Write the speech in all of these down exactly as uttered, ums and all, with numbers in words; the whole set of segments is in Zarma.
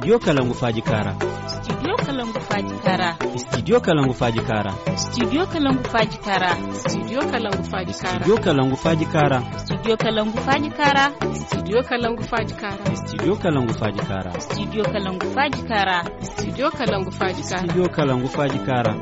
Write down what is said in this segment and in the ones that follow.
Studio Kalangu Faaji Kaara. Studio Kalangu Faaji Kaara. Studio Kalangu Faaji Kaara. Studio Kalangu Faaji Kaara. Studio Kalangu Faaji Kaara. Studio Kalangu Faaji Kaara. Studio Kalangu Faaji Kaara. Studio Kalangu Faaji Kaara. Studio Kalangu Faaji Kaara. Studio Kalangu Faaji Kaara. Studio Kalangu Faaji Kaara. Studio Kalangu Faaji Kaara.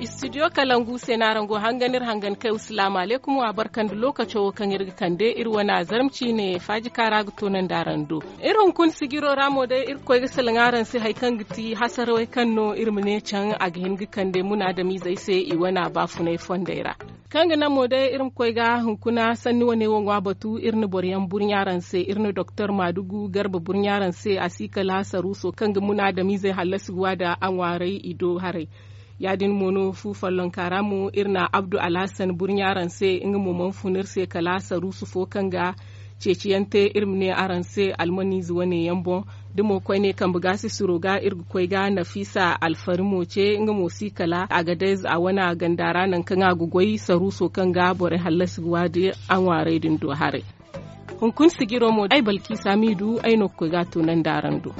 Studio Kalangu se no araŋ go hangan iri hangan kay. Salaamu alaykum, wa barka nda lookaco wo kaŋ iri ga kande iri wane azarma ciine Faaji Kaara ga toonandi araŋ do. Iri hunkuna sijiro ra mo day iri ga koy ga salaŋ araŋ se hari kaŋ ga ti hasarawey kaŋ no iri ma ne caŋ a ga hin ga kande munaadamizey se i wane baafunay fondey ra. Kaŋ ga naŋ mo day iri ma koy ga hunkuna sanni wane wo ŋwa batu, iri na boro yaŋ burɲa araŋ se, iri na doktor maadugu garba burɲa araŋ se a si kala saruuso kaŋ ga munaadamizey hallasi ga wa nda a ŋwaaray i do haray. Ya-din mo no fu follonka ra mo iri na abdu alhasan burɲa araŋ se, nga mo mana fun iri se kala saruusu fo kaŋ ga ceeciyaŋ te iri ma ne araŋ se almaniize wane yaŋ boŋ. Da mo koyne kambe gaasisiro ga iri ga koy ga nafiisa alfari mo ce, nga mo si kala agadez a wane ganda ra nangu kaŋ a ga goy saruuso kaŋ ga borey hallasi ga wa nda a ŋwaaray din do haray. Hunkuna sijiro mo ay balkiisa miidu ay no ga koy ga a toonandi araŋ do.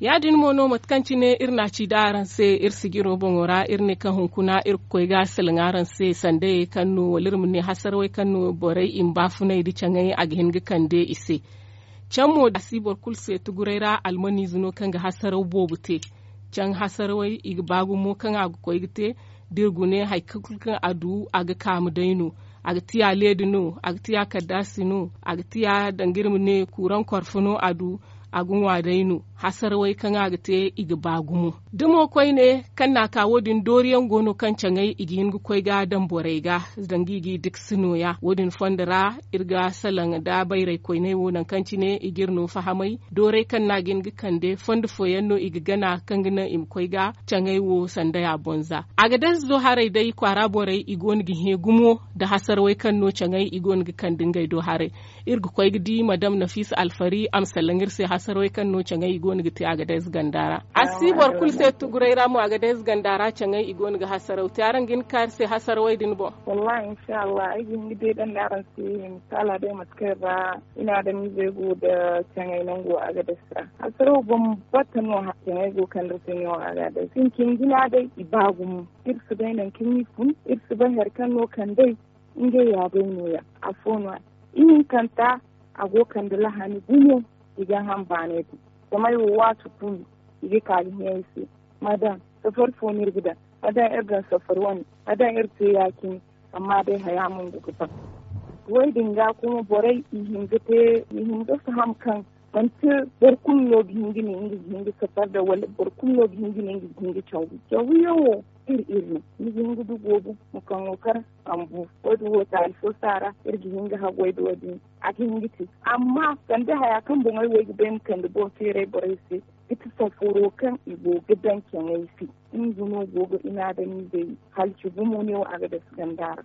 Ya-din mo no mate kaŋ cine iri na a ci da araŋ se iri sijiro boŋo ra iri ne kaŋ hunkuna iri ga koy ga salaŋ araŋ se sandayey kaŋ no wala iri ma ne hasarawey kaŋ no borey i ma baafunay nda caŋay a ga hin ga kande i se. Caŋ mo a si boro kulu se tuguray ra almaniize no kaŋ ga hasaraw boobo te. Caŋ hasarawey i ga ba gumo kaŋ a ga koy ga te da iri gune hari kulu kaŋ a du a ga kaamu day no. A ga tiya leedi no, a ga tiya kaddaasi no, a ga tiya danga iri ma ne kuuraŋ korfo no a du. A ga ŋwa day no. Hasarawey kaŋ a ga te i ga ba gumo. Da mo koyne kaŋ na a ka wo- din dooriyaŋ go no kaŋ caŋay i ga hin ga koy ga daŋ borey ga, danga i g'i dikasi nooya wo- din fondo ra. Iri ga salaŋ nda bayray koyney wo nangu kaŋ cine i g'iri no fahamay doorey kaŋ no a ga hin ga kande fondo fooyaŋ no i ga gana kaŋ ga naŋ i ma koy ga caŋay wo sanda ya bonza. Agadez do haray day kwaara borey i go no ga hẽ gumo nda hasarawey kaŋ no caŋay i go no ga kande ngey do haray. Iri ga koy ga di madam nafiisa alfari a ma salaŋ iri se hasarawey kaŋ no caŋay i go no ga te agadez ganda ra. A si boro kulu se tuguray ra mo agadez ganda ra caŋay i go no ga hasaraw te araŋ ga hin ga ka iri se hasarawey din boŋ. Wallahi inshallah ay ga hin ga deedandi araŋ se. Misaala day mate kaŋ iri ra inaadamizey go nda caŋay nango agadez ra hasaraw bambata no. Caŋay go kaŋ iri se no agadez sinkin jina day i ba gumo. Iri si bay nangu kaŋ i fun, iri si bay hari kaŋ no kand'ey. Ngey ya day nooya. Afo no-ya ihinkanta a go kande lahani gumo. I ga ham baanay din zama ay wo waati kulu i ga ka ga hẽ ay se. Ma daŋ safari fo no iri ga daŋ, ma daŋ iri daŋ safari wane, ma daŋ iri te ya-cine. Amma day haya mongo ga ban. Wo- din ga kuma borey i hin ga te i hin ga faham kaŋ manti boro kulu no ga hin ga ne nga ga hin ga safari daŋ wala boro kulu no ga hin ga ne nga ga hin ga caw. Caw yaŋ wo iri iri no ni ga hin ga du goobu ma kaŋo kar sambu. Wo- din wo taali fo saara iri ga hin ga haggoy da wo- din a ga hin ga te. Amma sanda haya kaŋ boŋey wo ay ga bay ma kande boŋ feeray borey se ga ti safaro kaŋ i go ga daŋ caŋey se. Nga no go ga inaadamizey halci gumo ne wo a ga dasa ganda ra.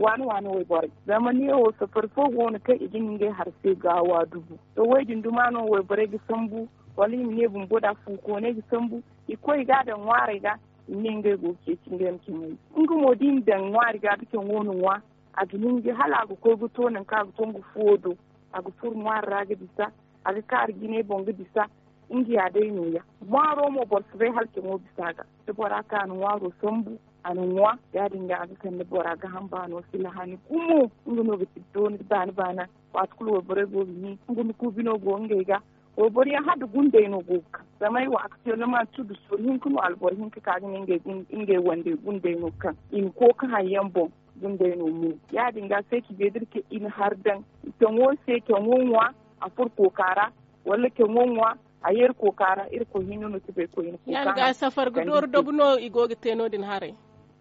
Waane waane wayborey zama ne wo safari fo go no kaŋ i ga ne ngey hari se gaawa dubu. To wo- din duma no wayborey ga sambu wala i ma ne bumbo da fuukooney ga sambu. I koy ga daŋ ŋwaarey ga i ma ne ngey go ga ceeci ngey ma caŋey. Nga mo da i na daŋ ŋwaari ga da caŋo na ŋwa a ga hinji hala a ga koy ga to nangu kaŋ a ga to nga fuwo do. A ga furo ŋwaari ra ga bisa a ga kaaru jinay boŋ ga bisa. Nga ya day nooya ŋwaaro mo boro si bay hala caŋo bisa ga. Da bora ka na ŋwaaro sambu a na ŋwa ya- din ga a ga kande bora ga hamba no sila hani gumo. Nga no ga ti dooni ga baani baana. Waati kulu wayborey go ga hin nga nda kuubi no go ngey ga. Wayboro yaŋ hala da gundey no go ga kaŋ zama ay wo aktuwelleman tudu sooru hinka no alboro hinka ka ga ne ngey wandey gundey no kaŋ i ma kooka haŋ yaŋ boŋ. Gundey no mo ya- din ga se ci beediri kaŋ i na hari daŋ caŋo se caŋo ŋwa a furo kooka ra wala caŋo ŋwa a yeeri kooka ra. Irkoy hinne no ti bay koyne kooka. Safar ga dooru dabu no i go ga te no- din haray.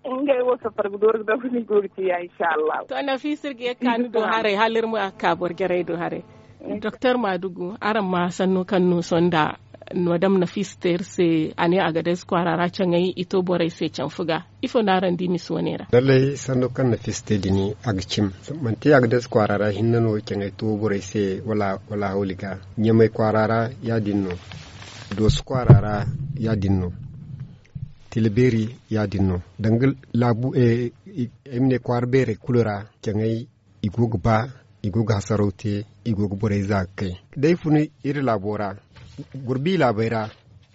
Ngey wo safar ga dooru ga dabu no i go ga te ya inshallah. To nafiisa iri ga ye ga ka ni do haray hala iri ma ka boro jarey do haray. Doktor maadugu araŋ ma sanno kaŋ no sonda madam nafiisa te iri se a ne a ga day si kwaara ra caŋay i to borey se canfu ga. Ifo no araŋ di misa wane ra? Lallay sanno kaŋ nafiisa te din a ga cim. Manti a ga day si kwaara ra hinne no caŋay to borey se wala hawli ga ɲamay kwaara ra ya- din no. Dooso kwaara ra ya- din no. Tila beeri ya- din no danga laabu ay ma ne kwaara beerey kulu ra. Caŋey i go ga ba, i go ga hasaraw te, i go ga borey za ga kay. Da ay fun iri laabo ra, boro bi laabey ra,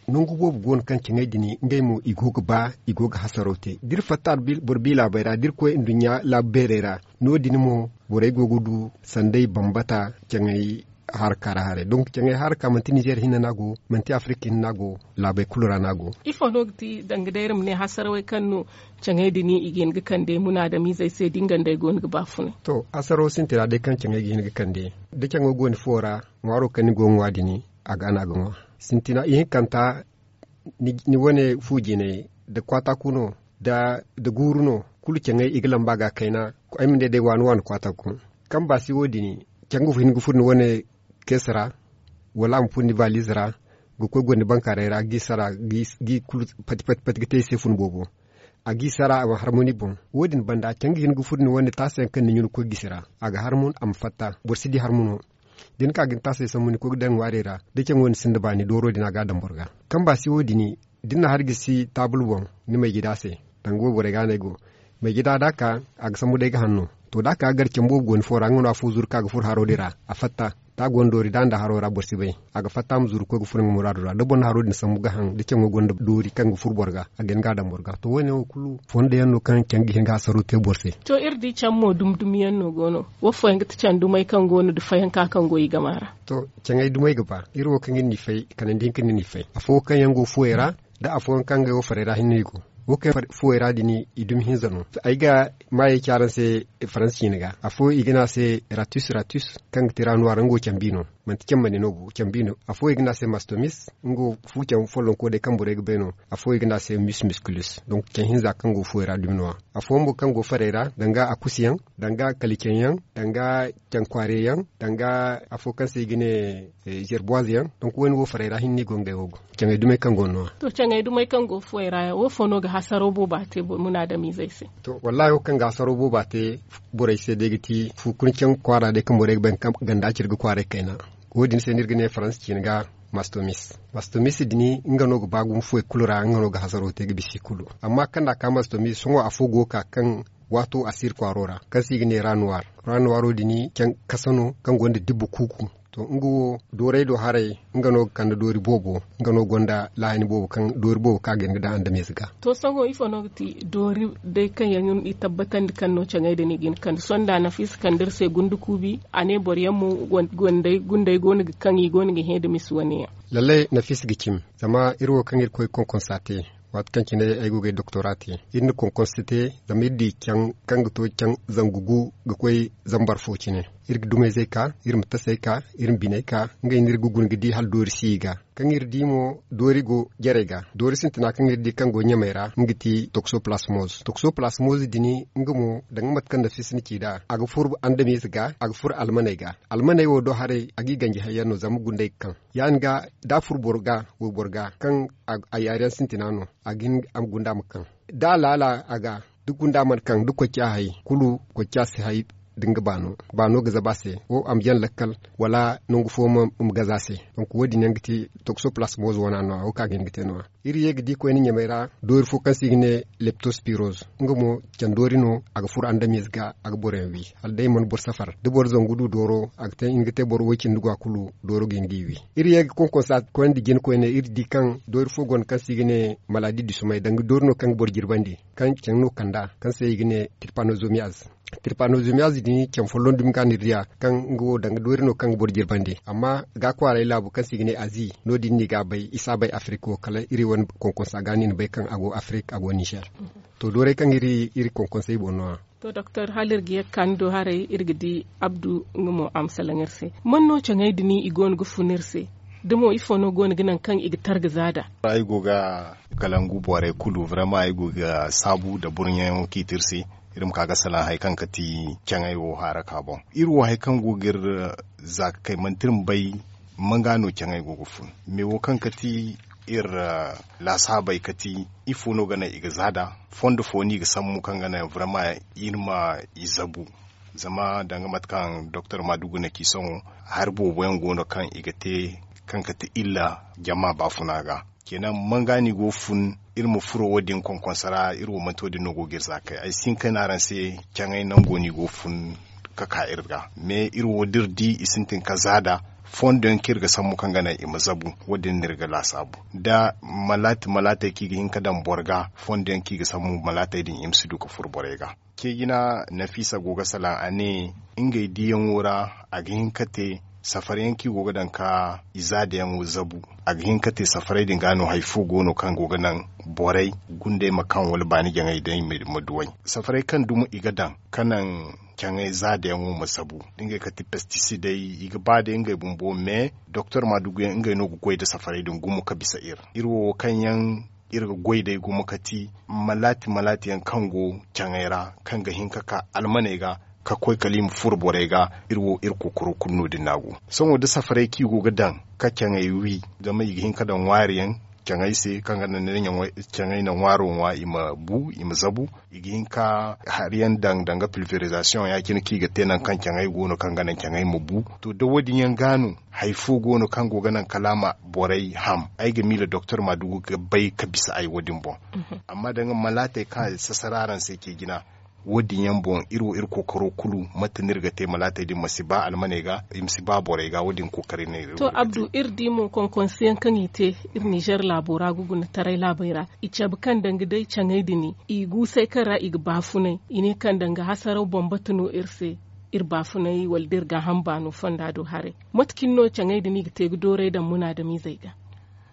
nangu boobo go no kaŋ caŋey din ngey mo i go ga ba, i go ga hasaraw te. Da iri fatta boro bi laabey ra da iri koy nduɲɲa laabu beerey ra, no- din mo borey go ga du sanday bambata. Caŋey haraka ra haray donk caŋey haraka manti nizeer hinne no a go, manti afirik hinne no a go, laabey kulu ra no a go. Ifo no ga ti danga day iri ma ne hasarawey kaŋ no caŋey din i ga hin ga kande munaadamizey se da nga nd'ey go no ga ba funay? To, hasaraw sintina day kaŋ caŋey ga hin ga kande, da caŋo go ni fuwo ra, ŋwaaro kaŋ ni go ga ŋwa din, a ga no a ga ŋwa. Sintina ihinkanta, ni wane fu jinay, da kwaataku no, da guuru no, kulu caŋey i ga lamba ga kayna. Ay ma ne day waani waani kwaataku. Kaŋ ba si wo- din, caŋ ga hin ga furo ni wane keesi ra, wala a ma furo ni valiz ra, ga koy goro ni bankaaray ra ga i sara, ga i kulu pati pati pati ga te i se fun boobo. A ga i sara a ma harmu ni boŋ. Wo- din banda caŋ ga hin ga furo ni wane taasa yaŋ kaŋ ni ɲuna ga koy gisi ra, a ga harmu a ma fatta, boro si di harmu no. Da ni ka ga ni taasey sambu ni koy ga daŋ ŋwaarey ra, da caŋo ni sinda baani dooro din a ga a daŋ boro ga. Kaŋ ba si wo- din, da ni na hari gisi taabul boŋ, ni may jida se, danga wayborey ga no ay go. May jida da a ka, a ga sambu day ga hanno. To, da a ka ga gar caŋ boobo go ni fo ra, nga no afo zuru ka ga furo haro din ra, a fatta. Da a go no doori da nda haro ra boro si bay. A ga fatta a ma zuru ga koy ga furo nga muraado ra da boro na haro din sambu ga haŋ da caŋo gonda doori kaŋ ga furo boro ga, a ga hin ga a daŋ boro ga. To, wo- ne wo kulu fondo yaŋ no kaŋ caŋ ga hin ga hasaro te boro se. To, iri di caŋ mo dumi dumi yaŋ no go no? Wo fooyaŋ ga ti caŋ dumey kaŋ go no da fayanka kaŋ go i gama ra? To, caŋey dumey ga ba. Iri wo kaŋ iri n'i fay kanandi hinka no iri n'i fay afo kaŋ yaŋ go fuwey ra, da afooyaŋ kaŋ ngey wo farey ra hinne i go. Wo kaŋ fuwey ra din, i dumi hinza no. Ay ga maayey ci araŋ se faransi ciine ga. Afo i ga ne a se ratus ratus, kaŋ ga ti ra nuwaar nga wo cambi no. Manti cambandi no bo, cambi no. Afo i ga ne a se mastomis, nga wo fu caŋ follonko day kaŋ borey ga bay no. Afo i ga ne a se mus musculus. Donk caŋ hinza kaŋ go fuwey ra dumi no- ya. Afooyaŋ mo kaŋ go farey ra, danga akusiyaŋ, danga kalicaŋ yaŋ, danga caŋ kwaare yaŋ, danga afo kaŋ se i ga ne zerboize yaŋ. Donk wo- ne wo farey ra hinne go ngey wo go. Caŋey dumey kaŋ go no- ya. To, caŋey dumey kaŋ go fuwey ra yaŋ wo fo no ga hasaro booba te munaadamizey se? To, wallaahi wo kaŋ ga hasaro booba te borey se day ga ti fu kuna caŋ kwaara day kaŋ borey ga bay kaŋ ganda cire ga kwaaray kayna. Wo- din se no iri ga ne faransi ciine ga mastomis. Mastomis din, nga no ga ba gumo fuwey kulu ra, nga no ga hasaro te ga bisa i kulu. Amma kaŋ da a ka mastomis sohõ afo go ga ka kaŋ waato a si iri kwaaro ra, kaŋ se i ga ne ra nuwaar. Ra nuwaaro din caŋ kasa no kaŋ gonda dibba kuuku. To, nga wo doorey do haray, nga no ga kande doori boobo. Nga no gonda laahani boobo kaŋ doori boobo kaŋ a ga hin ga daŋ andamiize ga. To, sohõ ifo no ga ti doori day kaŋ yaŋ i tabbatandi kaŋ no caŋey din i ga hin ga kande sonda nafiisa kande iri se gundukuubi a ne boro yaŋ mo, gundey go no ga kaŋ i go no ga hẽ da misi wane yaŋ? Lallay nafiisa ga cimi. Zama iri wo kaŋ iri koy konkonsa te, waati kaŋ cine ay go ga ay doktora te, iri na konkonsa te. Zama iri di caŋ kaŋ ga to caŋ zangu gu ga koy zambar fo cine. Iri ga dumayzey ka, iri ma tasey ka, iri ma biney ka, ngey no iri ga guna ga di hala doori si i ga. Kaŋ iri di mo doori go jarey ga, doori sintina kaŋ iri di kaŋ go ɲamey ra nga ti toksoplasmoz. Toksoplasmoz din, nga mo danga mate kaŋ nafiisa na ci nd'a, a ga furo andamiize ga, a ga furo almaney ga. Almaney wo do haray a g'i ganji hayyaŋ no zama gundey ga kaŋ. Ya- din ga, da a furo boro ga, wayboro ga kaŋ a yaariyaŋ sintina no, a ga hin a ma gunda ma kaŋ. Da a laala a ga, da gunda mana kaŋ da kocca hay kulu, kocca si hay da nga baano. Baano ga zabu a se, wo a ma jaŋ lakkal, wala nangu fo ma gaza a se. Donk wo- din yaŋ ga ti toksoplasmoz wana no- ya wo kaŋ a ga hin ga te no- ya. Iri ye ga di koyne ɲamey ra doori fo kaŋ se i ga ne leptospiroz. Nga mo candoori no, a ga furo andamiize ga, a ga boroyaŋ wi hala day mana boro safar. Da boro zangu du dooro, a ga te nga te boro way- cindi ga kulu, dooro ga hin g'i wi. Iri ye ga konkonsa koyne nda jina koyne, iri di kaŋ doori fo go no kaŋ se i ga ne malaadi du somay danga doori no kaŋ ga boro jirbandi, kaŋ caŋ no kand'a kaŋ se i ga ne tirpanozomiyaz. Tirpanozomiyaz din caŋ folloŋ dumi ga no iri diya, kaŋ nga wo danga doori no kaŋ ga boro jirbandi. Amma ga kwaaray laabu kaŋ se i ga ne azi, no- din no i ga a bay. I si a bay afirik wo kala iri wane konkonsa ga no i na bay kaŋ a go afirik, a go nizer. To, doorey kaŋ iri konkonsey boŋ no- ya. To doktor, hala iri ga ye ga ka ni do haray, iri ga di abdu nga mo a ma salaŋ iri se. Man no caŋey din i go no ga fun iri se? Da mo ifo no go no ga naŋ kaŋ i ga targa za nd'a? Ay go ga kalangu borey kulu vrema ay go ga saabu nda burɲayaŋo kaŋ i te iri se, iri ma ka ga salaŋ hari kaŋ ga ti caŋey wo haraka boŋ. Iri wo hari kaŋ go ga iri za ga kay manti iri ma bay manga no caŋey go ga fun. Me wo kaŋ ga ti iri laasaabey ga ti ifo no ga naŋ i ga za nd'a? Fondo fo no i ga sambu kaŋ ga naŋ vrema iri ma i zabu? Zama danga mate kaŋ doktor maadugu na ci sohõ, hari boobo yaŋ go no kaŋ i ga te kaŋ ga ti illa jama baafuna ga. Kenan manga no i go ga fun, iri ma furo wo- din konkonso ra, iri wo manti wo- din no go ga iri za kay. Ay si hin ka ne araŋ se, caŋay nango no i go ga fun ka ka iri ga. Mais iri wo da iri di i sintin ka za da fondo yaŋ kaŋ iri ga sambu kaŋ ga naŋ i ma zabu. Wo- din no iri ga laasaabu da malaati malaatey kaŋ i ga hin ka daŋ boro ga, fondo yaŋ kaŋ i ga sambu malaatey din i ma si du ka furo borey ga. Ceejina Nafisa go ga salaŋ, a ne ngey diyaŋo ra a ga hin ka te safari yaŋ kaŋ i go ga daŋ ka i za da yaŋo zabu. A ga hin ka te safarey din ga no hari fo go no kaŋ go ga naŋ borey gundey ma kaŋ wala baani jaŋay day ma duw'ey. Safarey kaŋ dumi i ga daŋ ka naŋ caŋay za da yaŋo ma zabu, da ngey kate pestisidey, i ga ba day ngey bumbo. Mais doktor maadugu yaŋ ngey no ga goy nda safarey din gumo ka bisa iri. Iri wo kaŋ yaŋ iri ga goy day gumo kati malaati malaati yaŋ kaŋ go caŋay ra, kaŋ ga hin ka ka almaney ga ka koy kala i ma furo borey ga. Iri wo iri kookaro kulu no- din no a go. Sohõ da safarey kaŋ i go ga daŋ ka caŋay wi, zama i ga hin ka daŋ ŋwaari yaŋ caŋay se kaŋ ga naŋ caŋay na ŋwaaro ŋwa i ma bu, i ma zabu. I ga hin ka hari yaŋ daŋ danga pilverizasiyoŋ ya- cine kaŋ i ga te nangu kaŋ caŋay go no kaŋ ga naŋ caŋay ma bu. To da wo- din yaŋ ga no hari fo go no kaŋ go ga naŋ kala a ma borey ham. Ay ga miila doktor maadugu ga bay ka bisa ay wo- din boŋ. Amma danga malaatey kaŋ a sasara araŋ se ce jina, wo- din yaŋ boŋ iri wo iri kookaro kulu mate no iri ga te malaatey din ma si ba almaney ga, i ma si ba borey ga. Wo- din kookari no iri. To abdu, iri di mo konkonsiyaŋ kaŋ i te iri nizer laabo ra ga guna taray laabey ra, i cabe kaŋ danga day caŋay din i guusay kaŋ ra i ga baafunay. I ne kaŋ danga hasaraw bambata no iri se, iri baafunay wala da iri gaaham baano fonda do haray. Mate cine no caŋey din i ga te ga dooray daŋ munaadamizey ga?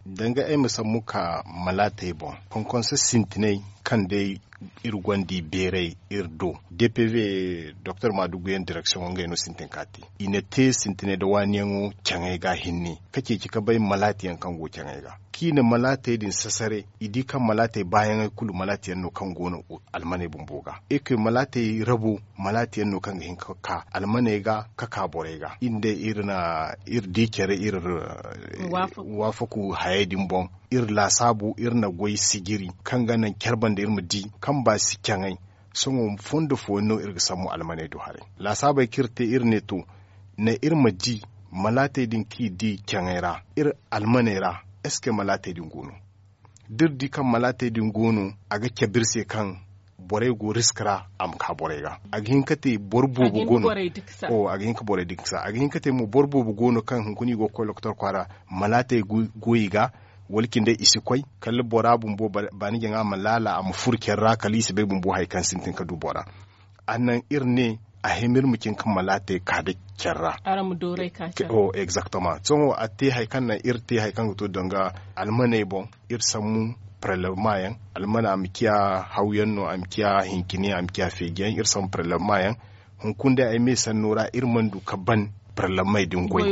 Danga ay ma sambu ka malaatey boŋ, konkonso sintinay kaŋ day iri gonda i beeray iri do, dpv doktor maadugu yaŋ direksiyoŋo ngey no sintin ka te. I na te sintinay nda waaniyaŋo caŋey ga hinne ka ceeci ka bay malaati yaŋ kaŋ go caŋey ga, kaŋ i na malaatey din sasare. I di kaŋ malaatey baayaŋey kulu malaati yaŋ no kaŋ go no almaney bumbo ga. Eke malaatey rabo malaati yaŋ no kaŋ ga hin ka ka almaney ga ka ka borey ga. Iri day iri na iri di care iri waafaku hayey din boŋ. Iri laasaabu iri na goy sijiri kaŋ ga naŋ care banda iri ma di kaŋ ba si caŋay. Sohõ fondo fooyaŋ no iri ga sambu almaney do haray. Laasaabey kaŋ iri te iri ne to, ne iri ma di malaatey din kaŋ i di caŋay ra iri almaney ra, eske malaatey din go no? Da iri di kaŋ malaatey din go no, a ga cabe iri se kaŋ borey go risk ra a ma ka borey ga. A ga hin ka te boro boobo go no. A ga hin ka borey diksa, a ga hin ka te mo boro boobo go no kaŋ hunkuna i go ga koy lokotor kwaara, malaatey go i ga, wala cindey i si koy kala bora bumbo baani jaŋa ma laala a ma furo care ra kala i si bay bumbo hari kaŋ sintin ka du bora. A naŋ iri ne a hima iri ma cin ka malaatey ka da care ra. Araŋ ma dooray ka care. Exactement. Sohõ a te hari kaŋ naŋ iri te hari kaŋ ga to danga almaney boŋ, iri sambu parlevma yaŋ. Almana a ma ciya hawyaŋ no, a ma ciya hincine, a ma ciya feejiyaŋ. Iri sambu parlevma yaŋ. Hunkuna day ay me sanno ra iri mana du ka ban parlevmey din goy.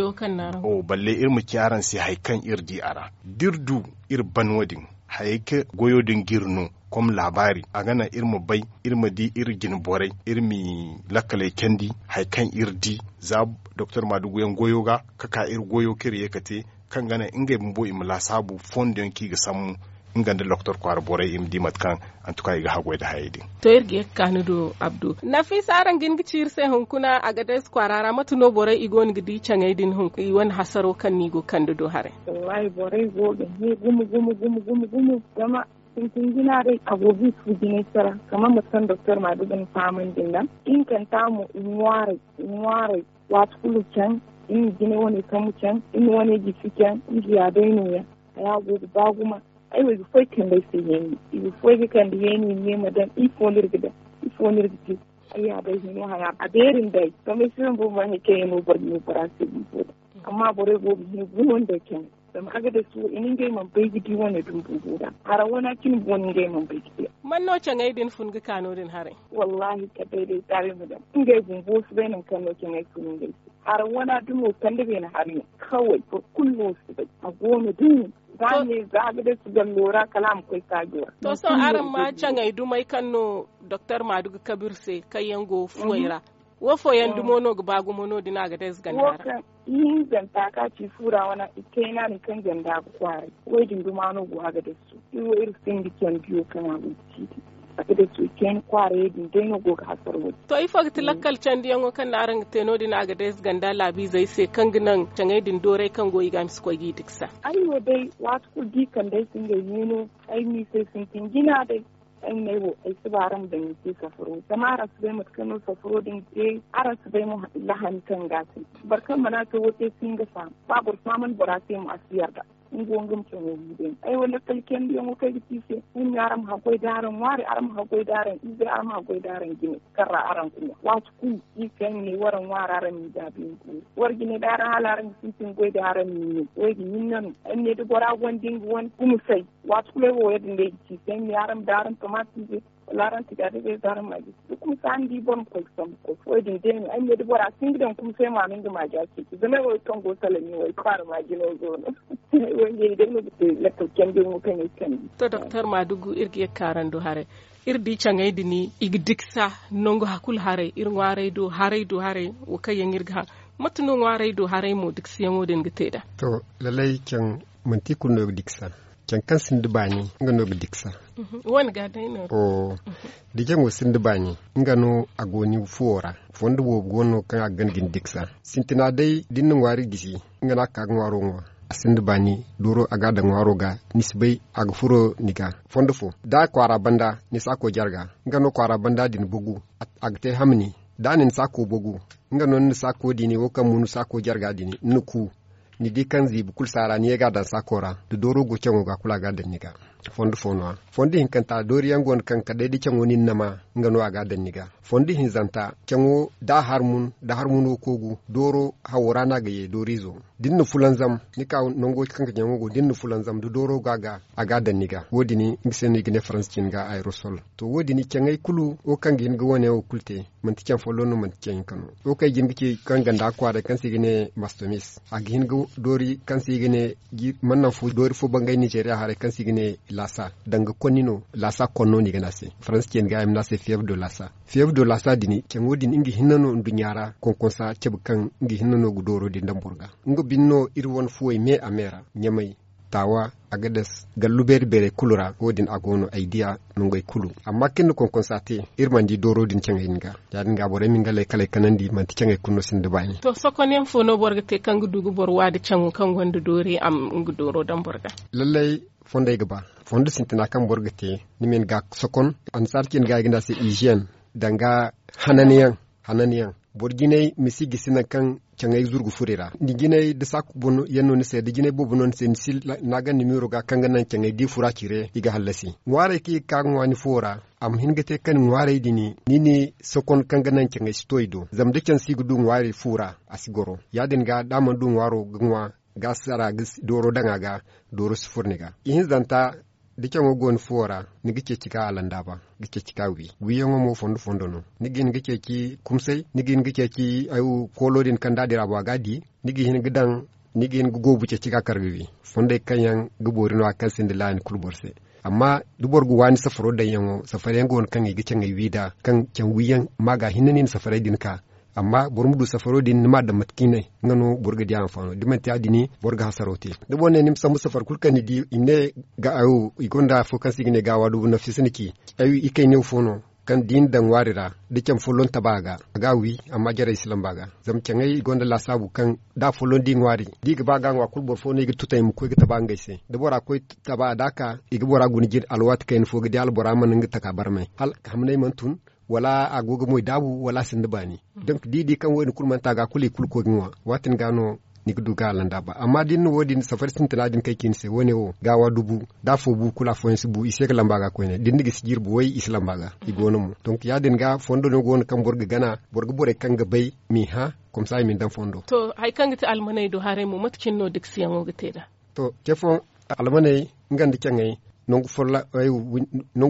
Balle iri ma ci araŋ se hari kaŋ iri di a ra da iri du iri ban wo- din, hayey kaŋ goyo din ga iri no, kom laabaari a ga naŋ iri ma bay, iri ma di iri jine borey, iri ma i lakkaley candi hari kaŋ iri di za doktor maadugu yaŋ goyo ga ka ka iri goyo kaŋ iri ye ka te, kaŋ ga naŋ ngey bumbo i ma laasaabu fondo yaŋ kaŋ i ga sambu nga nda lokotor kwaara borey i ma di mate kaŋ antuka i ga haggoy nda hayey din. To iri ga ye ga ka ni do abdu. Nafisa, araŋ ga hin ga ci iri se hunkuna a ga day si kwaara ra mate no borey i go no ga di caŋey din hunkuna i wane hasaro kaŋ no i go ga kande do haray? Wallahi borey go ga hẽ gumo gumo gumo gumo gumo zama sintin jina day a go ga i fu jinay sara kamar mate kaŋ doktor maadugu na fahamandi nd'a. Ihinkanta mo i ŋwaaray i ŋwaaray waati kulu caŋ. Iri na jine wane kambu caŋ, iri na wane jisi caŋ. Iri ya day nooya haya go ga ba gumo. Ay wo i ga foy kande ay se yeeni, i ga foy ga kande yeeni i ma ye ma daŋ. Ifo no iri ga daŋ? Ifo no iri ga te? Ay ya day hino haya a beeri nda ay. Zama ay si zama boro ma hari kaŋ yaŋ no boro ga ne bora se bumbo daŋ. Amma borey go ga hẽ gumo nda ay caŋey. Zama a ga day suwo i na ngey mana bay ga di wane dumbu go daŋ hara wana cine boŋ no ngey mana bay ga di. Man no caŋey din fun ga ka no- din haray? Wallahi kala day day taray ma daŋ. Ngey bumbo si bay nangu kaŋ no caŋey fun ngey se. Hara wana dumo kande beene hari no kaway boro kulu no si bay a go no din. Za ne za ga day si gallo ra kala a ma koy saajo ra. To sohõ araŋ ma caŋey dumey kaŋ no doktor maadugu kabe iri se kaŋ yaŋ go fuwey ra? Wo fooyaŋ dumo no ga ba gumo no- din a ga day si ganda ra? Ihinzanta ka ci fu ra wana ikayna din kaŋ ganda ga kwaaray. Wo- din duma no go a ga day su iri wo iri sinda candiyo kaŋ a go ga ci din. ga da suukeeni kwaarayey din day no go ga hasara wo-din. To ifo ga ti lakkal candiyaŋo kaŋ no araŋ ga te no- din a ga deesi ganda laabiizey se kaŋ ga naŋ caŋey din dooray kaŋ go i ga a ma si koy g'i diksa? Ay wo day, waati kulu da i kande ay se ngey neeno, ay m'i se sintin jina day. Ay ma ne wo, ay si ba araŋ ma daŋ i te safaro zama araŋ si bay mate kaŋ no safaro din ga te. Araŋ si bay mo lahani kaŋ ga a te. Boro kaŋ mana te wo te si hin ga faham. Ba boro fahamandi bora se mo a si yarda. Nga wo nga ma caŋo wi day. Ay wo lakkal candiyaŋo kaŋ ay ga ci i se, ay ma ne araŋ ma haggoy da araŋ ŋwaari, araŋ ma haggoy da araŋ izey, araŋ ma haggoy da araŋ jine kaŋ ra araŋ ga ŋwa. Waati kulu, iri kaŋ ay ma ne waraŋ ŋwaari araŋ m'i daabu yaŋ ga wi. Wara jine day araŋ hala araŋ ga sintin goy da araŋ m'i ne, wo ga ɲin nano. Ay ma ne da bora gonda nga wane kumusay, waati kulu ay wo ya- din day ga ci i se, ay ma ne araŋ ma daaraŋ tomati ize, wala araŋ tigaadagay za araŋ ma a jisi. Da kuma saani di boro ma koy ga sambu koy wo- din day no ay ma ne da bora si hin ga daŋ kuma se ma no nga ma a ja ceeci zama ay wo ay kaŋ go salami wo ay kwaara ma jino go no. Ay wo ngey day no ga te lakkal candi mo kaŋ ay candi. To doktor maadugu iri ga ye ga ka araŋ do haray. Iri di caŋey din i ga diksa nangu hakulu haray iri ŋwaaray do haray do haray wo kaŋ yaŋ iri ga haŋ. Mate no ŋwaaray do haray mo dikasiyaŋo din ga te nd'a? To, lallay caŋ manti kulu no ga diksa. Caŋ kaŋ sinda baani nga no ga diksa. Wane ga day no. Da jaŋo sinda baani, nga no a go ni fuwo ra. Fondo boobo go no kaŋ a ga gana ga ni diksa. Sintina day da ni na ŋwaari gisi, nga no a ga ka ga ŋwaaro ŋwa. A sinda baani, dooro a ga a daŋ ŋwaaro ga, ni si bay a ga furo ni ga. Fondo fo da a kwaara banda, ni si a koy jarga. Nga no kwaara banda din bugu, a ga te hamni. Da a na ni saako bogu, nga no ni na saako diini wo kaŋ mo ni saako jarga diini ni na ku. Ni di kaŋ ziibi kulu saara ni ye ga a daŋ saako ra. Da dooro go caŋo ga kulu a ga a daŋ ni ga. Fondo fo no- ya fondo hinkanta doori yaŋ go no kaŋ kala day da caŋo nin na ma, nga no a ga a daŋ ni ga. Fondo hinzanta caŋo da a har mun da har mun wo koogu dooro hawo ra no a ga ye dooriizo. Da ni na fulanzam, ni ka nango kaŋ ga caŋo go da ni na fulanzam da dooro go a ga, a ga a daŋ ni ga. Wo- din nga se no i ga ne faransa cin ga aerosol. To wo- din caŋey kulu wo kaŋ ga hin ga wane wo kulu te. Manti caŋ folloŋ no manti caŋ hinka no. Wo kaŋ ay jin ga ce kaŋ ganda kwaaray kaŋ se i ga ne mastomis a ga hin ga doori kaŋ se i ga ne mannan fo doori fo bangay nizeeriya haray kaŋ se i ga ne laasa danga konni no. Laasa konno no i ga ne a se faransa cin ga ay ma ne a se fiyev do laasa. Fiyev do laasa din caŋo din nga hinne no nduɲɲa ra konkonsa cabe kaŋ nga hinne no ga dooro din daŋ boro ga. Nga bine no iri wane fuwey me a me ra ɲamay, taawa, agades, gallu beeri beerey kulu ra wo- din a go no ay diya nangey kulu. Amma kaŋ iri na konkonsa te, iri mana di dooro din caŋey din ga. Ya- din ga borey ma nga lay kala ay kanandi manti caŋey kulu no sinda baani. To sokonyaŋ fo no boro ga te kaŋ ga du ga boro wa da caŋo kaŋ gonda doori a ma nga dooro daŋ boro ga? Lallay, fondey ga ba. Fondo sintina kaŋ boro ga te, ni ma ni ga sokon. Annasaara cin ga i ga ne a se iziyen, danga hananyaŋ. Hananyaŋ, boro jinay ma si gisi nangu kaŋ caŋey zuru ga furo i ra. Ni jinay da saaku boobo yaŋ no ni se da jinay boobo no ni se ni si naagandi miiro ga kaŋ ga naŋ caŋey da i furo a cire i ga hallasi. Ŋwaarey kaŋ i ga ka ga ŋwa ni fuwo ra, a ma hin ga te kaŋ ŋwaarey din ni ni sokon kaŋ ga naŋ caŋey si to i do. Zama da caŋ si ga du ŋwaari fu ra, a si goro. Ya- din ga da a mana du ŋwaaro ga ŋwa, ga sara ga dooro daŋ a ga, dooro si furo ni ga. Ihinzanta, da caŋo go ni fuwo ra, ni ga ceeci ga alandaaba, ga ceeci ga wi. Wiyaŋo mo fondo fondo no. Ni ga hin ga ceeci kumsay, ni ga hin ga ceeci koolo din kaŋ da a dira bo a ga a di. Ni ga hin ga daŋ, ni ga hin ga goobu ceeci ga kar ga wi. Fondey kaŋ yaŋ ga boori no- ya kaŋ sinda laani kulu boro se. Amma da boro ga waani safaro daŋyaŋo, safar yaŋ go no kaŋ i ga caŋey wi nd'a, kaŋ caŋ wiyaŋ ma ga hinne ni na safarey din ka. Amma boro ma du safaro din ni m'a daŋ mate kaŋ i ne, nga no boro ga di a hanfaano da manti ya- din, boro ga hasaro te. Da boro ne ni ma sambu safar kulu kaŋ ni di i ma ne, i gonda afo kaŋ se i ga ne gaawa dubu nafisa ni ci. Ay, i kayne wo fo no, kaŋ da i na daŋ ŋwaari ra, da caŋ folloŋ taba a ga, a ga a wi. Amma jarey si lamba a ga. Zama caŋey i gonda laasaabu kaŋ da folloŋ da i ŋwaari, da i ga ba ga a ŋwa kulu boro fo no i ga tutay ma koy ga taba ngey se. Da bora koy taba da a ka, i ga bora guna jin alwaati kayna fo ga di hala bora mana nga taka barmay hala hamnay mana tun, wala a go ga moy daabu wala a sinda baani. Donk da i di kaŋ wo- din kulu mana te a ga kulu i kulu koy ga ŋwa. Waati din ga no ni ga du ga a landa ba. Amma da ni na wo- din safari sintina din kay ci ni se wo- ne wo gaawa dubu, da afo bu kulu afooyaŋ si bu i se ga lamba ga koyne da ni na gisi jirbi way i si lamba ga. I go no mo donk ya- din ga fondo no go no kaŋ boro ga gana, boro ga borey kaŋ ga bay m'i hã. Komsa i ma ni daŋ fondo. To, hari kaŋ ga ti almaney do haray mo mate cine no dikasiyaŋo ga te nd'a? To, ce fooyaŋ, almaney nga nda caŋey, nangu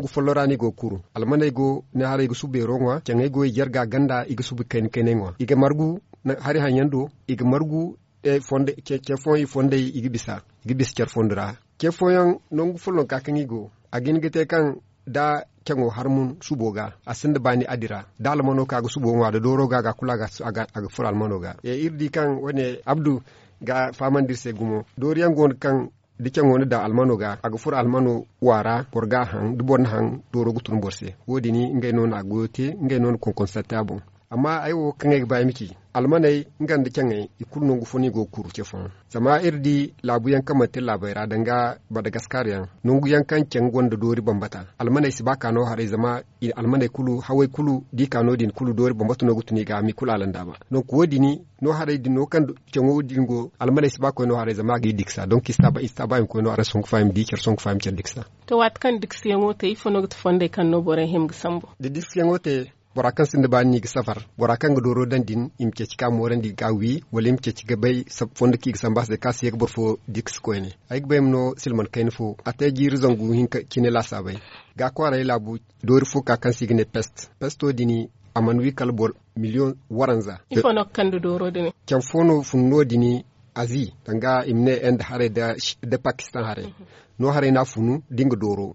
follo ra no i go ga kuru. Almaney go ne haray i ga subu beero ŋwa, caŋey go i jarga ganda i ga subu kayna kaynay ŋwa. I ga margu hari haŋ yaŋ do, i ga margu ce fooyaŋ i fondey i ga bisa, i ga bisa care fondo ra. Ce fooyaŋ, nangu follonka kaŋ i go, a ga hin ga te kaŋ da caŋo har mun subo ga, a sinda baani a dira da almano ka ga subo ŋwa da dooro ga ga kulu a ga furo almano ga. Iri di kaŋ wo- ne abdu ga fahamandi iri se gumo doori yaŋ go no kaŋ da caŋo ni daŋ almano ga a ga furo almano waara boro ga a haŋ da boro na haŋ dooro ga tun boro se. Wo- din ngey no na a goyo te ngey no na konkonsatte a boŋ. Amma ay wo kaŋ ay ga ba ay ma ci almaney nga nda caŋey i kulu nangu fo no i go ga kuru ce fooyaŋ. Zama iri di laabu yaŋ kaŋ manti iri laabey ra danga badagaskar yaŋ nangu yaŋ kaŋ caŋ gonda doori bambata almaney si ba ka no haray zama almaney kulu hawey kulu da i ka no- din kulu doori bambata no ga tun i ga a ma i kulu alandaaba. Donk wo- din no haray din no kaŋ caŋo din go almaney si ba koy no haray zama a ga i diksa donk i si taaba i ma koy no haray songu fa i ma di care songu fa i ma care diksa. To waati kaŋ diksa yaŋo te ifo no ga ti fondey kaŋ no borey hima ga sambu? Da diksa yaŋo te bora kaŋ sinda baani no i ga safar bora kaŋ ga dooro daŋ din i ma ceeci ka moorandi ga wi wala i ma ceeci ga bay fondo kaŋ i ga sambu a se kaŋ a si ye ga boro fo diksa koyne. Ay ga bay ma no silman kayna fo a te jiiri zangu hinka cine laasaabay. Ga kwaaray laabu doori fo ka kaŋ se i ga ne pest pesto din a mana wi kala boro miliyoŋ waranza. Ifo no ga kande dooro din? Care fo no fun no- din azi danga i ma ne inde haray da pakistan haray. No haray no a funu da nga dooro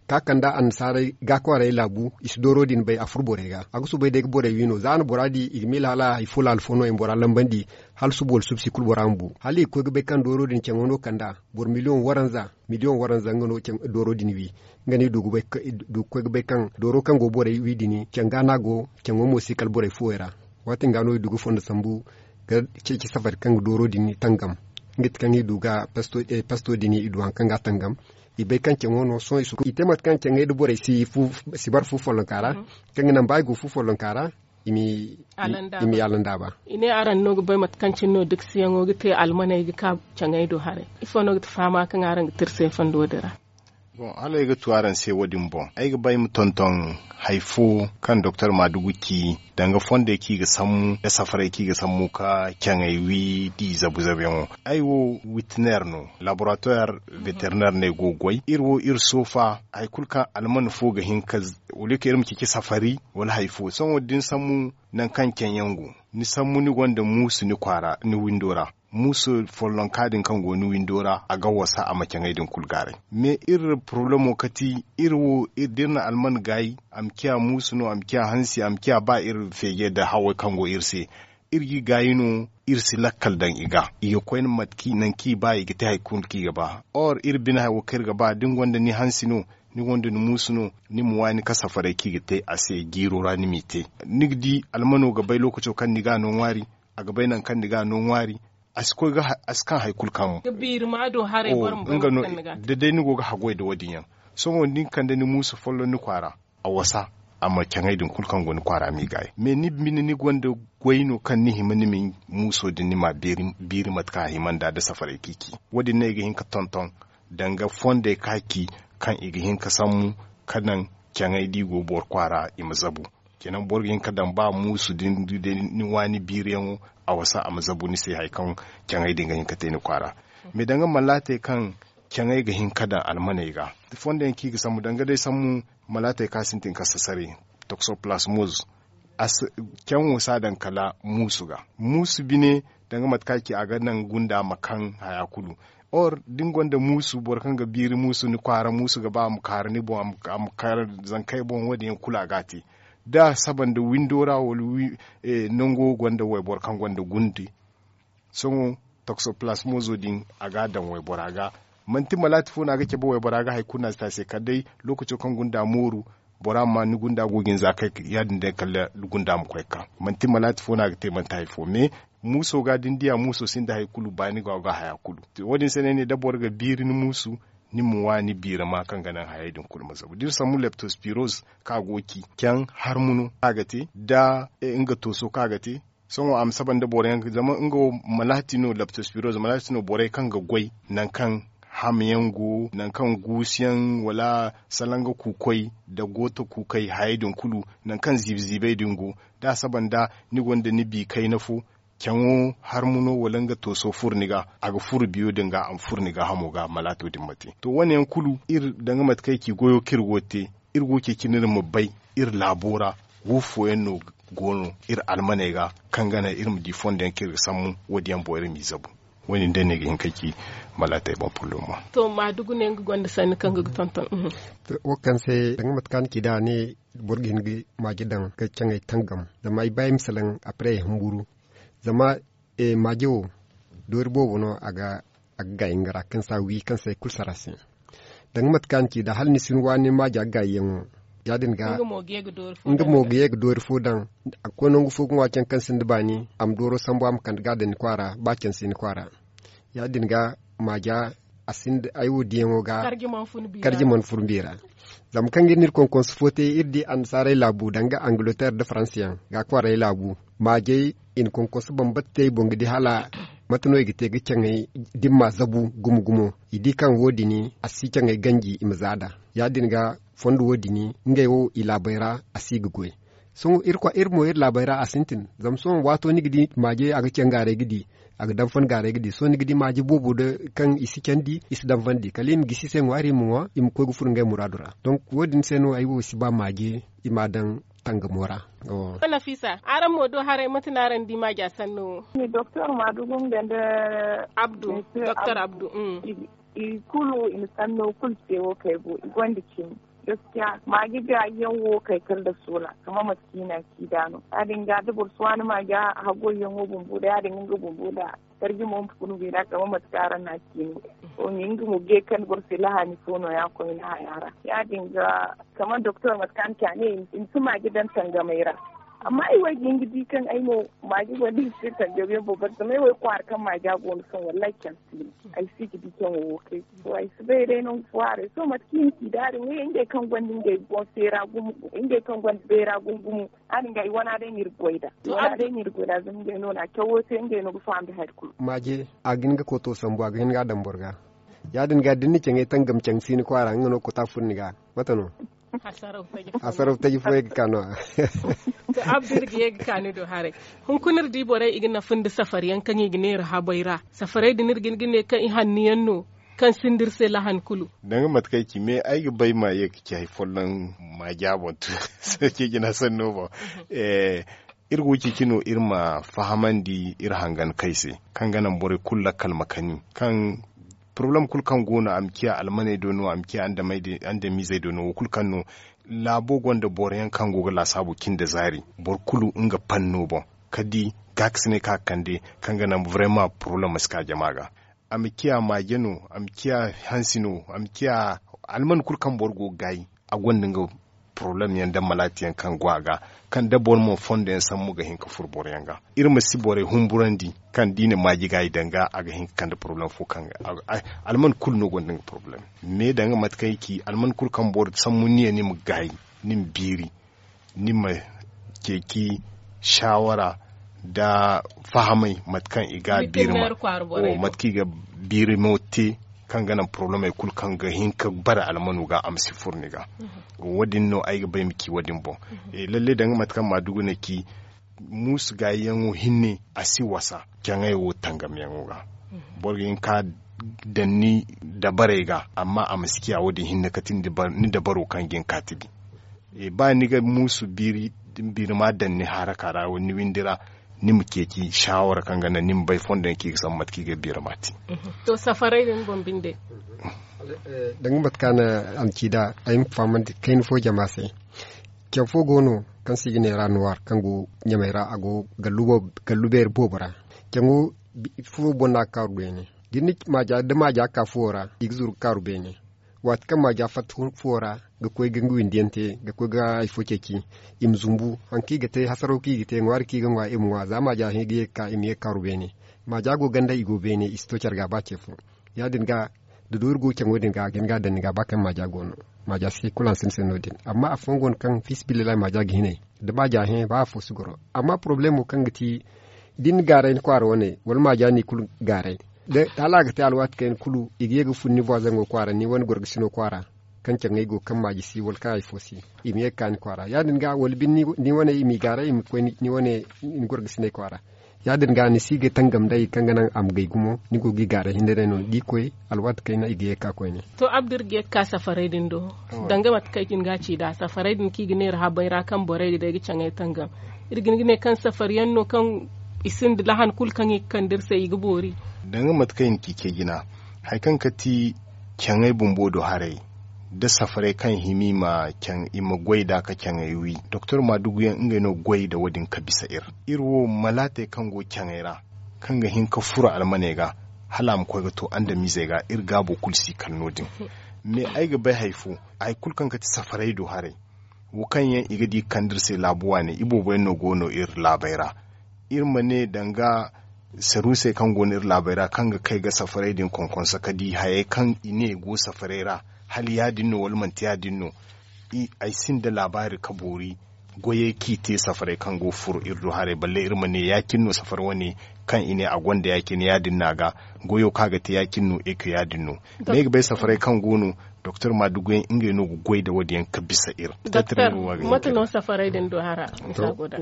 ka kande annasaarey ga kwaaray laabu i si dooro din bay a furo borey ga a ga soobay day ga borey wi no za a na bora di i ga miila hala hari fo laala fo no i ma bora lambandi hala suba wala suba si kulu bora ma bu hala i ga koy ga bay kaŋ dooro din caŋo no kande a boro miliyoŋ waranza miliyoŋ waranza nga no dooro din wi. Nga no i du ga koy ga bay kaŋ dooro kaŋ go borey wi din caŋ ga no a go. Caŋo mo si kala borey fuwey ra. Waati din ga no i du ga fondo sambu ga ceeci safari kaŋ ga dooro din tangam. Nga ti kaŋ i du ga pesto din i du hari kaŋ ga a tangam. I bay kaŋ caŋo no sohõ i te mate kaŋ caŋey nda borey si bara fu follonka ra kaŋ ga naŋ ba i go fu follonka ra i ma i alandaaba. I ne araŋ no ga bay mate kaŋ cine no dikasiyaŋo ga te almaney ga ka caŋey do haray? Ifo no ga ti fahama kaŋ araŋ ga te iri se fondo din ra? Bon hala ay ga tu araŋ se wo- din boŋ ay ga ba ay ma tonton hari fo kaŋ doktor maadugu ci danga fondey kaŋ i ga sammu nda safarey kaŋ i ga sammu ka caŋey wi da i zabu zabuyaŋo. Ay wo witiner no laboratoir veteriner no ay go ga goy iri wo iri soofa hari kulu kaŋ alman fo ga hin ka wala kaŋ iri ma ceeci safari wala hari fo sohõ da ni sammu nangu kaŋ caŋ yaŋ go ni sambu ni gonda muusu ni kwaara ni windo ra. Muusu follonka din kaŋ go ni windo ra a ga wasa a ma caŋey din kulu gaaray. Mais iri poroblemo kati iri wo da iri na alman gaayi a ma ciya muusu no a ma ciya hansi a ma ciya ba iri feeje nda hawey kaŋ go iri se. Iri ga i gaayi no iri si lakkal daŋ i ga i ga koy nangu kaŋ i ba i ga te hari kulu kaŋ i ga ba. Or iri bine hari wo kaŋ iri ga ba da ni gonda ni hansi no ni gonda ni muusu no ni ma waani ka safarey kaŋ i ga te a se jiiro ra ni m'i te. Ni ga di almano ga bay lookaco kaŋ ni ga a no ŋwaari a ga bay nangu kaŋ ni ga a no ŋwaari. A si koy ga a si kaŋ hari kulu kaŋ mo. Nga no da day ni go ga haggoy nda wo- din yaŋ. Sohõ da ni kande ni muusu folloŋ ni kwaara a wasa a ma caŋey din kulu kaŋ go ni kwaara m'i gaayi mais ni bine ni gonda goy no kaŋ ni hima ni ma muuso din ni m'a biiri mate kaŋ a hima nd'a nda safarey kaŋ i ci. Wo- din no ay ga hin ka tonton danga fondey kaŋ a ci kaŋ i ga hin ka sammu ka naŋ caŋey da i go boro kwaara i ma zabu. Kenan boro ga hin ka daŋ ba muusu din da ni waani biiriyaŋo a wasa a ma zabu ni se hari kaŋ caŋey din ga hin ka te ni kwaara. Mais danga malaatey kaŋ caŋey ga hin ka daŋ almaney ga fondo yaŋ kaŋ i ga sambu danga day sambu malaatey kaŋ a sintin ka sasare toksoplasmoz. Caŋo si a daŋ kala muusu ga muusu bine danga mate kaŋ a ci a ga naŋ gunda ma kaŋ haya kulu. Or da ni gonda muusu boro kaŋ ga biiri muusu ni kwaara muusu ga ba a ma kaaru ni boŋ a ma kaaru zankey boŋ wo- din yaŋ kulu a ga a te. Da a saba nda windo ra wala nango gonda wayboro kaŋ gonda gundi. Sohõ toksoplasmozo din a ga a daŋ waybora ga. Manti malaati fo no a ga cabe waybora ga hari kulu no a si te a se kala day lookaco kaŋ gunda mooru bora ma ni gunda go ga ni za kay ya- din day kala gunda ma koy ga ka. Manti malaati fo no a ga te manti hari fo mais muuso ga da ni diya muuso sinda hari kulu baani go a ga haya kulu. Wo- din se no ay ne da boro ga biiri ni muusu ni ma waani biirama kaŋ ga naŋ hayey din kulu ma zabu da iri sambu leptospiroz kaŋ a go ga ci caŋ harmu no kaŋ a ga te da nga tooso kaŋ a ga te. Sohõ a ma saba nda boro yaŋ zama nga wo malaati no leptospiroz malaati no borey kaŋ ga goy nangu kaŋ ham yaŋ go nangu kaŋ guusu yaŋ wala salanga kuukoy nda gooto kuukey hayey din kulu nangu kaŋ ziibi ziibey din go. Da a saba nda ni gonda ni bi kayna fo caŋo harmu no wala nga tooso furo ni ga a ga furo biyo din ga a ma furo ni gaahamo ga malaato din ma te. To wo- ne yaŋ kulu iri danga mate kaŋ ay ci goyo kaŋ iri go ga te iri go ga ceeci no iri ma bay iri laabo ra wo fooyaŋ no go no iri almaney ga kaŋ ga naŋ iri ma di fondo yaŋ kaŋ iri ga sambu wo- din yaŋ boŋ iri m'i zabu. Wo- din day no ay ga hin ka ci malaatey boŋ pullomo. To maadugu ne nga gonda sanni kaŋ ga ga tonton. Wo kaŋ se danga mate kaŋ a na ci nd'a a ne boro ga hin ga maaje daŋ ga caŋey tangam zama ay ba ay ma salaŋ apre ay humburu. Zama maaje wo doori boobo no a ga a ga gaayi nga ra kaŋ se a wi kaŋ se ay kulu sara se. Danga mate kaŋ a na ci da hala ni si ni waani maaja ga gaayiyaŋo. Ya- din ga nga mo ga ye ga doori fo daŋ a ga koy nangu fo ga ŋwa caŋ kaŋ sinda baani a ma dooro sambu a ma kande ga a daŋ ni kwaara ba caŋ si ni kwaara. Ya- din ga maaja a sinda ay wo diyaŋo ga karji mana furbi ra. Zama kaŋ ga iri na iri konkonsu fo te iri di annasaarey laabu danga angiloteer nda faransa yaŋ ga kwaaray laabu maajey i na konkonsu bambata te i boŋ ga di hala mate no i ga te ga caŋey dimma zabu gumo gumo. I di kaŋ wo- din a si caŋey ganji i ma za nd'a. Ya- din ga fondo wo- din ngey wo i laabey ra a si ga goy. Sohõ iri mo iri laabey ra a sintin zama sohõ waato ni ga di maaje a ga caŋ gaaray ga di a ga danfan gaaray ga di sohõ ni ga di maaje boobo da kaŋ i si candi i si danfandi kala i ma gisi i se ŋwaari i ma ŋwa i ma koy ga furo ngey muraadu ra. Donk wo- din se no ay wo si ba maaje i m'a daŋ tangamo ra. Nafisa, araŋ mo do haray mate no araŋ di maaja sanno wo? Doktor maadugu nga nda abdu. Doktor abdu. I kulu i na sanno kulu te wo kay go i gonda cimi. Gaskiya maaji gaayi yaŋ wo kay kala nda soola kama mate kaŋ i na a ci nd'a no ya- din ga da boro si waani maaja haggoy yaŋo bumbo nda ya- din ga nga bumbo nda karji mo ma funu beera kama mate kaŋ araŋ na a ci no. Wo- din nga mo ga ye kaŋ boro se lahaani fo no- ya koyne haya ra ya- din ga kama doktor mate kaŋ a na ci a ne i ma si maaji daŋ tangamey ra. Amma ay wo ay ga hin ga di kaŋ ay mo maaji gonda i ma si tangamey boŋ bari zama ay wo ay kwaara kaŋ maaja go no sohõ wallahi caŋ si no. Ay si ga di caŋo wo kay. To ay si bay day nangu fo haray sohõ mate kaŋ i na ci da haray ngey ngey kaŋ gonda ngey boŋ seera gumo ngey kaŋ gonda bayra gumo gumo. Haadin ga i wana day no iri ga goy nd'a i wana day no iri ga goy nd'a zama ngey no na cawo te ngey no ga faham da hari kulu. Maaje a ga hin ga kooto sambu a ga hin ga a daŋ boro ga. Ya- din ga da ni na caŋey tangam caŋ si ni kwaara nga no ga koota furo ni ga. Mate no? Hasaraw taji fooyaŋ ga ka no-ya. To abdu iri ga ye ga ka ni do haray. Hunkuna iri di borey i ga nafa nda safari yaŋ kaŋ i ga neera habey ra. Safarey din iri ga hin ga ne kaŋ i hanno yaŋ no kaŋ sinda iri se lahan kulu. Danga mate kaŋ ay ci me ay ga bay ma ye ga ci hari folloŋ ma jaabantu. Ceeci na sanno boŋ. Iri go ceeci no iri ma fahamandi iri hangan kay se kaŋ ga naŋ borey kulu lakkal ma kani kaŋ porobalem kulu kaŋ go no a ma ciya almaney do no a ma ciya andamizey do no wo kulu kaŋ no. Laabo gonda boro yaŋ kaŋ go ga laasaabu cin da zaari boro kulu nga panno boŋ ka di gaakasiney kaŋ a ga kande kaŋ ga naŋ barema porobalem ma si ka jama ga. A ma ciya maaje no a ma ciya hansi no a ma ciya alman kulu kaŋ boro go ga gaayi a gonda nga porobalem yaŋ nda malaati yaŋ kaŋ go a ga kaŋ da boro mo fondo yaŋ sambu ga hin ga furo boro yaŋ ga. Iri ma si borey humburandi kaŋ da i na maaji gaayi daŋ ga a ga hin ga kande porobalem fo kaŋ alman kulu no gonda nga porobalem. Me daŋ ga mate kaŋ ay ci alman kulu kaŋ boro sambu niya ni ma gaayi ni ma biiri ni ma ceeci saawara nda fahamay mate kaŋ i ga biiri ma mate kaŋ i ga biiri mo te kaŋ ga naŋ porobalemey kulu kaŋ ga hin ka bare almano ga a ma si furo ni ga. Wo- din no ay ga bay ma ci wo- din boŋ. Lalle daŋ ga mate kaŋ maadugu na ci muusu gaayiyaŋo hinne a si wasa caŋey wo tangamyaŋo ga. Boro ga hin ka daŋ ni dabarey ga amma a ma si ciya wo- din hinne kate ni dabaro kaŋ ga hin ka ti di. Ba ni ga muusu biiri ma daŋ ni haraka ra ni windi ra ni ma ceeci saawara kaŋ ga naŋ ni ma bay fondo yaŋ kaŋ i ga sambu mate kaŋ i ga biiri ma te. To safarey din boŋ binde. Danga mate kaŋ a na ci nd'a ay ma fahamandi kayna fo jama se. Caw fo go no kaŋ se i ga ne ra nuwaar kaŋ go ɲamey ra a go gallu beeri boobo ra. Caŋo fo boŋ no a ga kaaru beene. Da maaja ga ka fuwo ra i ga zuru ga kaaru beene. Waati kaŋ maaja fatta fuwo ra ga koy ga nga windi yaŋ te ga koy ga hari fo ceeci i ma zumbu. Hari kaŋ i ga te hasaraw kaŋ i ga te ŋwaari kaŋ i ga ŋwa i ma ŋwa za maaja hẽ ga ye ga ka i ma ye ga kaaru beene. Maaja go ganda i go beene i si to care ga ba ce fo. Ya- din ga da doori go caŋo din ga a ga hin ga a daŋ ni ga ba kaŋ maaja go no. Maaja si kulu hanse ni se no- din amma afooyaŋ go no kaŋ fiisabilillahi maaja ga hinay da maaja hẽ ba afo si goro. Amma porobalemo kaŋ ga ti da ni na gaaray ni kwaara wane wala maaja no i kulu gaaray. Hala a ga te alwaati kayna kulu i ga ye ga fun ni voizaŋo kwaara ni wane gorgasino kwaara kaŋ caŋey go kaŋ maaji si wala kaŋ hari fo si i ma ye ga ka ni kwaara ya- din ga wala binde ni wane i m'i gaaray i ma koy ni wane ni gorgasiney kwaara. Ya- din ga ni si ga tangam day kaŋ ga naŋ a ma gay gumo ni go ga i gaaray hinne day no da i koy alwaati kayna i ga ye ga ka koyne. To abdu iri ga ye ga ka safarey din do. Danga mate kaŋ ay ga hin ga a ci nd'a safarey din kaŋ i ga neera habey ra kaŋ borey ga day ga caŋey tangam. Iri ga hin ga ne kaŋ safari yaŋ no kaŋ i sinda lahan kulu kaŋ i ga kande iri se i ga boori. Danga mate kaŋ i na ci ce jina hari kaŋ ga ti caŋey bumbo do haray da safarey kaŋ hima i ma goy nd'a ka caŋey wi doktor maadugu yaŋ ngey no ga goy nda wo- din ka bisa iri. Iri wo malaatey kaŋ go caŋey ra kaŋ ga hin ka furo almaney ga hala a ma koy ga to andamiizey ga, iri gaabo kulu si kala no- din. Mais ay ga bay hari fo, hari kulu kaŋ ga ti safaray do haray, wo kaŋ yaŋ i ga di ga kande iri se laabu waane, iboobo yaŋ no go no iri laabey ra. Iri ma ne danga saruusey kaŋ go no iri laabey ra, kaŋ ga kay ga safaray din konkonsa ka di hayey kaŋ i ne go safaray ra, hala ya- din no wala manti ya- din no. Ay sinda laabaari ka boori goyey kaŋ i te safaray kaŋ go ga furo iri do haray, balle iri ma ne ya- cine no safari wane kaŋ i ne a gonda ya- cine, ya- din no a ga goyo kaŋ a ga te ya- cine no, eke ya- din no. Mais ay ga bay safaray kaŋ go no, doktor maadugu yaŋ ngey no ga goy nda wo- din yaŋ ka bisa iri. Mate no safaray din do hara?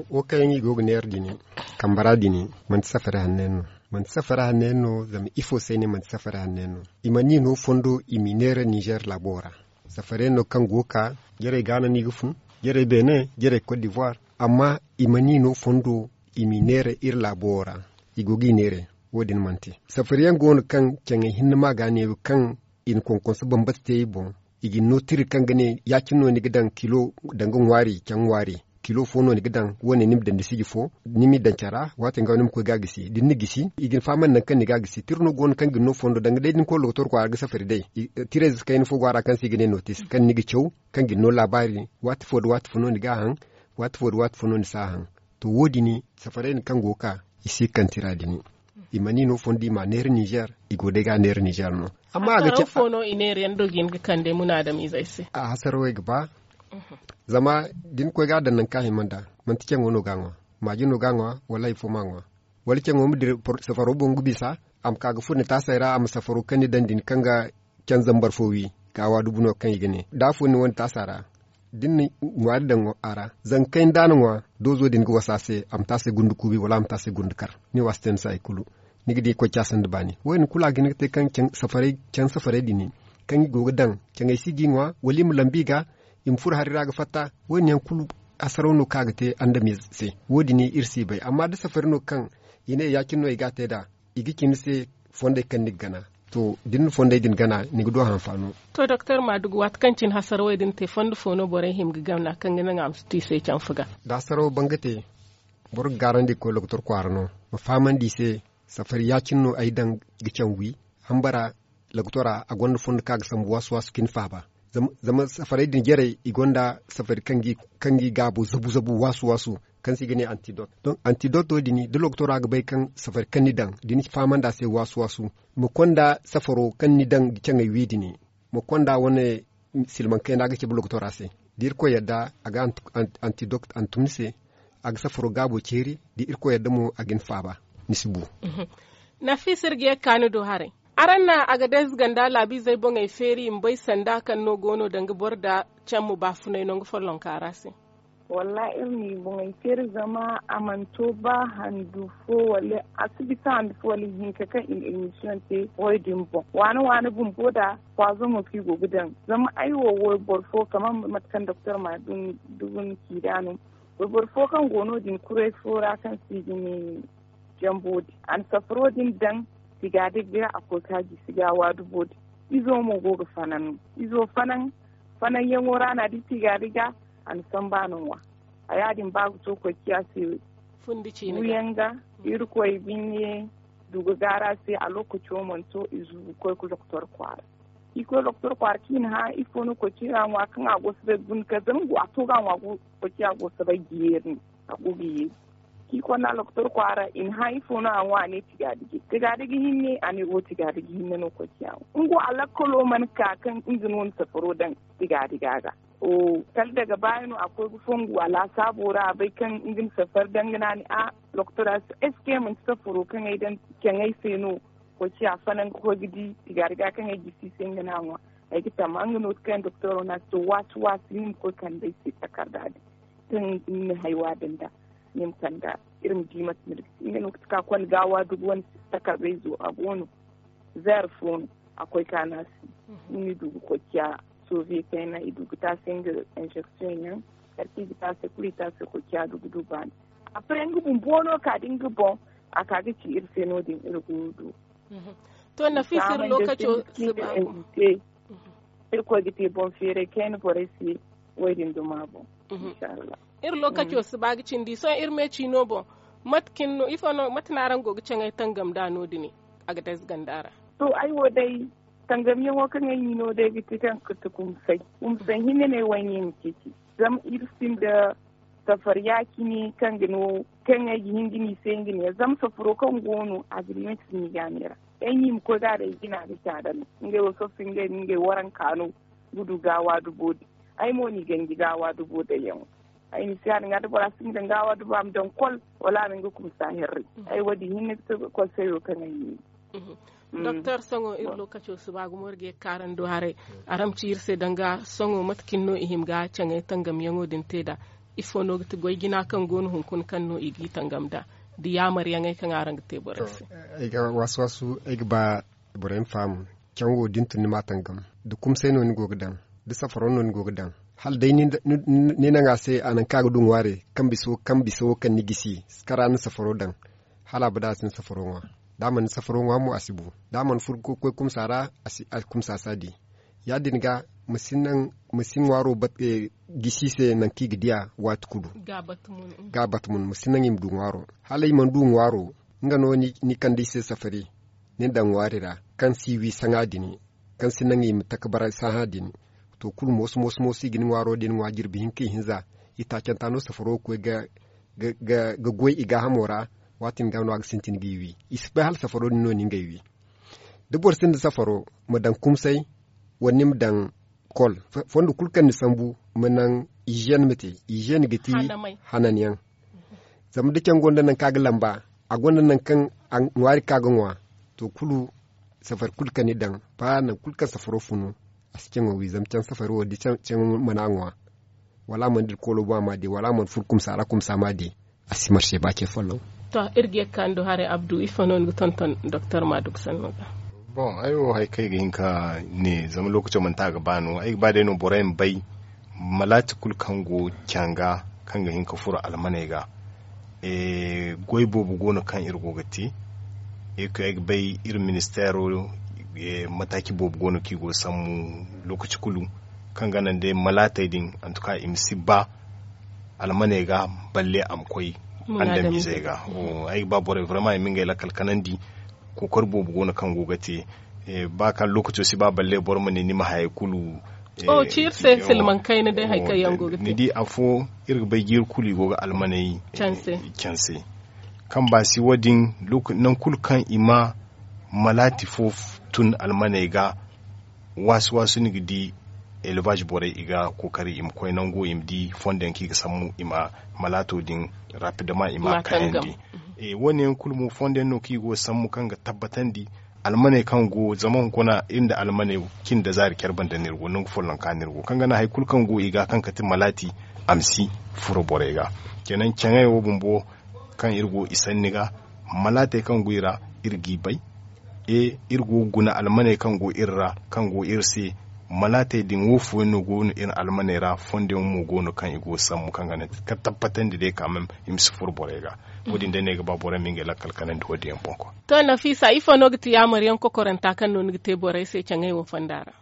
Wo kaŋ yaŋ i go ga neera din, kambara din, manti safari hanno yaŋ no. Manti safari hanno yaŋ no, zama ifo se ay ne manti safari hanno yaŋ no? I mana i no fondo i m'i neera ninzeer laabo ra. Safari yaŋ no kaŋ go ga ka, jarey gaana no i ga fun, jarey beene, jarey kot divoire. Amma i mana i no fondo i m'i neera iri laabo ra. I go ga i neera. Wo- din mana te. Safari yaŋ go no kaŋ caŋey hinne ma ga neewo kaŋ i na konkonso bambata te i boŋ. I ga ni no tiri kaŋ ga ne ya- cine no ni ga daŋ kilo danga ŋwaari caŋ ŋwaari, kilo fo no ni ga daŋ, wo- ne ni ma daŋ ni siji fo, ni m'i daŋ care ra, waati yaŋ ga no ni ma koy ga a gisi da ni na gisi i ga ni fahamandi nangu kaŋ ni ga a gisi. Tira no go no kaŋ ga ni no fondo danga day da ni koy lokotor kwaara ga safari day. Tirayze kayna fo go a ra kaŋ se i ga ne notis kaŋ ni ga caw, kaŋ ga ni no laabaari, waati fo nda waati fo no ni ga a haŋ, waati fo nda waati fo no ni si a haŋ. To wo- din, safarey din kaŋ go ga ka, i si ga kande tira din. I mana i no fondo i m'a neera ninzeer, i go day ga a neera ninzeer no. Amma a ga ci. Fo no i neera yaŋ do ga hin ga kande munaadamizey se? A hasarawey ga ba. Zama da ni koy ga a daŋ nangu kaŋ a hima nd'a, manti caŋo no ga a ŋwa, maaji no ga a ŋwa, wala hari fo ma a ŋwa. Wala caŋo ma dira safaro boŋ ga bisa, a ma ka ga furo ni taasey ra, a ma safaro kaŋ ni daŋ din kaŋ ga caŋ zambar fo wi, ga waadubu no kaŋ i ga ne da afo ni wane taasa ra. Da ni na ŋwaari daŋ a ra, zangu kayna da a na ŋwa, doozo din ga wasa a se, a ma te a se gundu kuubi wala a ma te a se gundu kar. Ni wa si te ni se hari kulu. Ni ga di koy caasa nda baani wo- din kulu a ga hin ga te kaŋ caŋ safarey din, kaŋ i go ga daŋ caŋey si ga i ŋwa wala i ma lambu i ga, i ma furo hari ra ga fatta. Wo- din yaŋ kulu hasaraw no kaŋ a ga te andamiize se. Wo- din iri si bay amma da safari no kaŋ i ne ya- cine no i ga a te nd'a, i ga ci ni se fondey kaŋ ni ga gana. To da ni na fondey din gana, ni ga du a hanfaano. To doktor maadugu waati kaŋ cine hasarawey din te fondo fo no borey hima ga gana kaŋ ga naŋ a ma si tu i se canfa ga? Da hasarawo ban ga te, boro ga gaarandi ga koy lokotor kwaara no, ma fahamandi i se. Safari ya- cine no ay daŋ ga caŋ wi. Hambara lokotora a gonda fondo kaŋ a ga sambu waasu waasu cine faaba. Zama safarey din jarey i gonda safari kaŋ ga i gaabo zabu zabu waasu waasu, kaŋ se i ga ne antidot. Donk antidot wo- din da lokotora ga bay kaŋ safari kaŋ ni daŋ da ni fahamandi a se waasu waasu, ma konda safaro kaŋ ni daŋ ga caŋey wi din, ma konda wane silmaŋ kayna ga cabe lokotora se. Da irkoy yadda a ga antidot hantum ni se, a ga safaro gaabo ceeri. Da irkoy yadda mo a ga ni faaba, ni si bu. Nafisa iri ga ye ga ka ni do haray. Araŋ na a ga day zuganda laabiizey boŋey feeri i ma bay sanda kaŋ no go no danga boro nda cammu baafunay nangu follonka ra se? Wallaahi iri n'i boŋey feeri zama a mana to ba handu fo wala a si bisa handu fo wala ihinka kaŋ i na emisiyoŋ te wo- din boŋ waane waane bumbo nda pwaazoŋo kaŋ i go ga daŋ. Zama ay wo wayboro fo kama mate kaŋ doktor ma dugu ni ci nd'a no. Wayboro fo kaŋ go no- din kuray fo ra kaŋ se i ga ne jambo din a na safaro din daŋ tigaadiga ga a koy ka gisi ga waadubo din. Izo mo go ga fanaŋ no. Izo fanaŋ fanaŋyaŋo ra no a di tigaadiga a na samba no ŋwa. A ya- din ba ga to koy ciya se. Buuyaŋ ga irkoy binne duga gaara se a lokaco mana to i zugu koy ga doktor kwaara. I koy doktor kwaara kaŋ i na hã ifo no koy ciya ŋwa kaŋ a go soobay ga guna kar zama a to ga a ŋwa koy ciya go soobay ga yeeri no. A go ga yeeri. Kaŋ i konda lokotor kwaara i na hã ifo no a ŋwa a ne tigaadigi tigaadigi hinne a ne wo tigaadigi hinne no koy ciya ŋwa nga wo a lakkalo mana ka kaŋ nga no na safaro daŋ tigaadiga ga. Kala daga baayi no a koy ga fongu a laasaabo ra a bay kaŋ nga na safari daŋ ga no a ne a lokotora se eske manti safaro kaŋ ay daŋ caŋay se no? Koy ciya fanaŋ ga koy ga di tigaadiga kaŋ ay gisi se nga no a ŋwa. Ay ga tamma nga no ga kaŋ doktooro no a se to waasi waasi ni ma koy kande ay se takarda din kaŋ ni na haywa din da ni ma kanda iri ma di mate no ni ga te nga no ga taka konda gaawa dugu wane takarda izo a go no. Zeer fo no a koy ka no a se. Nga no i du ga koy ciya soviye kayna i du ga te a se nga inzeksiyoŋ yaŋ. Kala kaŋ i ga te a se kulu i te a se koy ciya dugu du baani. Apre nga bumbo no ka da nga boŋ a ka ga ci iri se no- din iri go ga du. To nafisa iri lokaco si ba. Irkoy ga te boŋ feeray kayna borey se. Wo- din duma boŋ. Inshallah. Iri lokaco si ba ga cindi sohõ iri me ciino boŋ. Mate cine no ifo no mate no araŋ go ga caŋay tangam nd'a no- din? a ga day ganda ra. To, ay wo day, tangamyaŋo kaŋ ay ni no day ga ti kaŋ ga ti kumsay kumsay hinne no ay wo ay ne ay ma ceeci. Zama iri sinda safar ya-cine kaŋ ga no kaŋ ay ga hin ga ni se nga ne zama safaro kaŋ go no a ga ni manti ni gaanay ra. Ay ni ma koy ga a day jina ga caada no ngey wo sohõ si ngey no ngey waranka no ga du gaawa dubo din. Ay mo ni ganji gaawa dubo daŋyaŋo. Ay ni si ya-din ga da bora si nga daŋ gaawa dubo a ma daŋ kol wala a ma nga kumsa herre. Ay wo- din hinne ga to ga kol sayo kaŋ ay ni. Doktor, sohõ iri lookaco si ba gumo iri ga ye ga kaarandi haray. Araŋ ma ci iri se danga sohõ mate cine no i hima ga caŋay tangamyaŋo din te nd'a? Ifo no ga ti goy jina kaŋ go no hunkuna kaŋ no i g'i tangam nd'a, da yaamaryaŋey kaŋ araŋ ga te borey se? Ay ga waasu-waasu ay ga ba borey ma faham. Caŋ wo da ni tun ni m'a tangam, da kumsay no ni go ga daŋ, da safaro no ni go ga daŋ, hala day ni naŋ a se a naŋ kaŋ a ga du ŋwaari kaŋ bisa wo kaŋ ni gisi, kara ni safaro daŋ, hala abada a si ni safaro ŋwa. Da a mana ni safaro ŋwa mo a si bu. Da a mana furo ga koy kumsa ra, a kumsa si a di. Ya-din ga ma si ŋwaaro gisi se naŋ kaŋ i ga di a waati kulu. Ga a bata mun ma si naŋ i ma du ŋwaaro. Hala i mana du ŋwaaro, nga no ni kande i se safari, ni daŋ ŋwaari ra kaŋ si wi saŋa din, kaŋ si naŋ i ma taka bara saha din. To, kulu mooso mooso mooso i ga ni ŋwaaro din ŋwa jirbi hinka ihinza. Itaacanta no safaro ga koy ga goy i gaahamo ra. Waati din ga no a ga sintin g'i wi. I si bay hala safaro din no ni ngey wi. Da boro sinda safaro, ma daŋ kumsay, wala ni ma daŋ kol. Fondo kulu kaŋ ni sambu, ma naŋ iziyen ma te. Iziyen ga ti hananyaŋ. Zama da caŋ gonda naŋ kaŋ a ga lamba, a gonda naŋ kaŋ ŋwaari kaŋ a ga ŋwa. To, kulu safari kulu kaŋ ni daŋ, ba naŋ kulu kaŋ safaro funu, a si caŋo wi zama caŋ safari wo da caŋo mana ŋwa, wala a mana dira koolo boŋ a m'a di, wala a mana furo kumsa ra kumsa m'a di, a si marse ba ce folloŋ. To, iri ga ye ga kaanu haray, Abdu, ifo no ni ga tonton doktor maaduk sanno ga? Boŋ, ay wo hari kaŋ ay ga hin ka ne, zama lookaco manti a ga ba no. Ay ga ba day no borey ma bay malaati kulu kaŋ go caŋ ga, kaŋ ga hin ka furo almaney ga. Goy boobo go no kaŋ iri go ga te. Iri ga bay iri ministeero, mataaci boobo go no kaŋ i go ga sambu lookaci kulu, kaŋ ga naŋ day malaatey din, antuka i ma si ba almaney ga, balle a ma koy andamizey ga. Ay ga ba borey vraiment i ma ngey lakkal kanandi. Kookari boobo go no kaŋ go ga te. Ba kaŋ lookaco si ba balle boro ma ne ni ma hayey kulu. Ciiri se silmaŋ kayna day hari kaŋ yaŋ go ga te. Ni di afo, iri ga bay jiiri kulu i go ga almaney canse. Kaŋ ba si wo- din, nangu kulu kaŋ i ma malaati fo tun almaney ga, waasu-waasu ni ga di elbaaz borey i ga kookari i ma koy nango i ma di fondo yaŋ kaŋ i ga sambu i ma malaato din rapidement i ma kayandi. Wo- ne yaŋ kulu mo fondo yaŋ no kaŋ i go ga sambu kaŋ ga tabbatandi almaney kaŋ go zama hunkuna iri nda almaney cindi zaari care banda no iri go nangu folloŋ ka no iri go kaŋ ga naŋ hari kulu kaŋ go i ga kaŋ ga ti malaati a ma si furo borey ga. Kenan caŋey wo bumbo kaŋ iri go i sanni ga, malaatey kaŋ go i ra, iri g'i bay. Iri go ga guna almaney kaŋ go iri ra, kaŋ go iri se. Malaatey din wo fooyaŋ no go no iri almaney ra, fondo yaŋ mo go no kaŋ i go ga sambu kaŋ ga naŋ ka tabbatandi day ka meme i ma si furo borey ga. Wo- din day no ay ga ba borey ma ngey lakkal kanandi wo- din yaŋ boŋ kwa. To, nafiisa, ifo no ga ti yaamar yaŋ kokoranta kaŋ no ni ga te borey se caŋey wo fonda ra?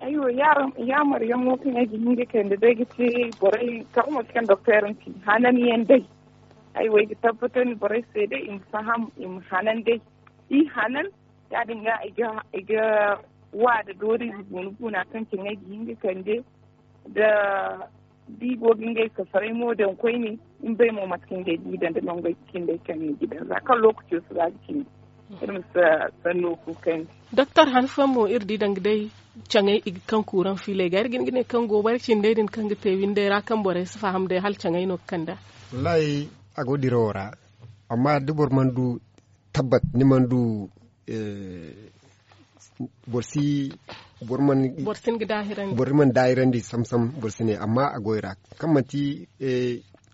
Aywa, yaamar yaŋ wo kaŋ ay ga hin ga kande day ga ti borey kaŋ wo manti kaŋ doktor ni ci hanan yaŋ day. Ay wo ay ga tabbatandi borey se day i ma faham, i ma hanan day. I hanan, ya- din ga i ga wa da doori guuna guuna kaŋ caŋey ga hin ga kande da di go ga ngey safaray mo daŋ koyne. Ni bay mo mate kaŋ ngey di daŋ da nongey ga cindey kaŋ ni ga daŋ za kaŋ lookaco si ba ga cindi. Iri ma si sanno kuukandi. Doktor, han fooyaŋ mo iri di danga day caŋey i ga kaŋ kuuraŋ fiiley ga iri ga hin ga ne kaŋ goobari cindey din kaŋ ga te windey ra kaŋ borey si faham day hala caŋey no ga kand'a. Wallaahi, a go dirawo ra. Amma da boro mana du tabbat, ni mana du boro si boro mana boro mana daahirandi sam-sam, boro si ne amma a go i ra. Kaŋ manti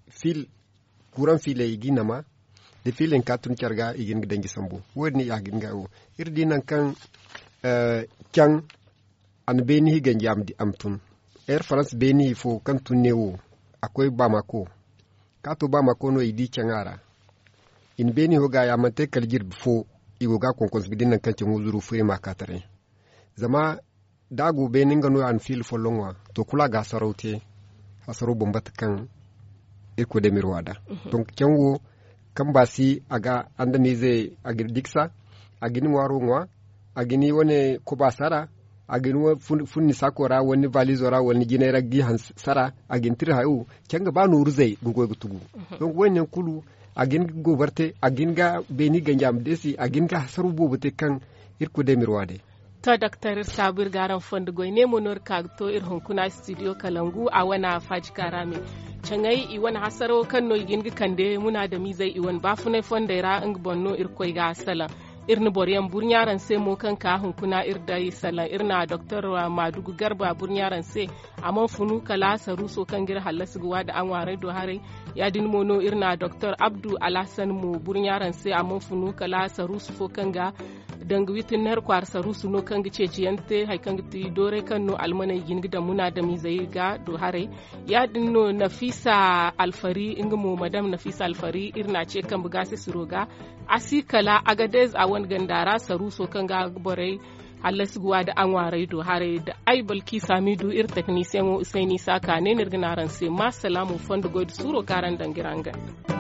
fiil kuuraŋ fiiley i g'i nama da fiiley ka tun care ga i ga hin ga danji sambu. Wo- din i a ga hin ga wo iri di naŋ kaŋ caŋ a na beeni hi ganji a ma tun. Air farans beeni hi fo kaŋ tun ne wo a koy baamako. Ka to baamako no i di caŋ a ra. I na beeni ho ga ya manti kala jirbi fo. I go ga konkonse ga di naŋ kaŋ caŋo zuru fo i ma ka taray. Zama da a go beene nga no a na fiila folloŋ ŋwa, to kulu a ga hasaraw te. Hasaraw bambata kaŋ irkoy day ma iri wa nd'a. Donk caŋ wo kaŋ ba si a ga andamiizey a ga iri diksa. a ga ni ŋwaaro ŋwa, a ga ni wane kobaasa ra, a ga ni funni saako ra wala ni valizo ra wala ni jinay ra ga i haŋ sara. A ga ni tira hayo. Caŋ ga ba nooru zay ga goy ga tugu. Donk wo- din yaŋ kulu a ga hin ga gooboro te, a ga hin ga beeni ganji a ma deesi, a ga hin ga hasaraw boobo te kaŋ iri kulu day ma iri wa day. To doktor iri saabu iri ga araŋ fondo goy ne mo no iri ka ga to iri hunkuna studio kalangu a wane faaji kaara me. Caŋay i wane hasarawo kaŋ no i ga hin ga kande munaadamizey i wane baafunay fondey ra nga boŋ no irkoy ga salaŋ. Iri na boro yaŋ burɲa araŋ se mo kaŋ ka hunkuna iri day salaŋ iri na doktor maadugu garba burɲa araŋ se. A mana funu kala saruuso kaŋ ga iri hallasi ga waada a ŋwaaray do haray. Ya- din mo no iri na doktor abdu alhasan mo burɲa araŋ se a mana funu kala saruusu fo kaŋ ga danga witinner kwaara saruusu no kaŋ ga ceeciyaŋ te hari kaŋ ga ti dooray kaŋ no almaney ga hin ga daŋ munaadamizey ga do haray. Ya- din no nafisa alfari nga mo madam nafisa alfari iri na a ce kambe gaasasiro ga. A si kala agadez a wane ganda ra saruuso kaŋ ga borey hallasi ga waada a ŋwaaray do haray da ay balki saamidu iri teknisiyaŋo usayni saaka ne no iri ga ne araŋ se ma salaamu fondo goy nda suuro kaŋ araŋ daŋ ga iri haŋ ganda.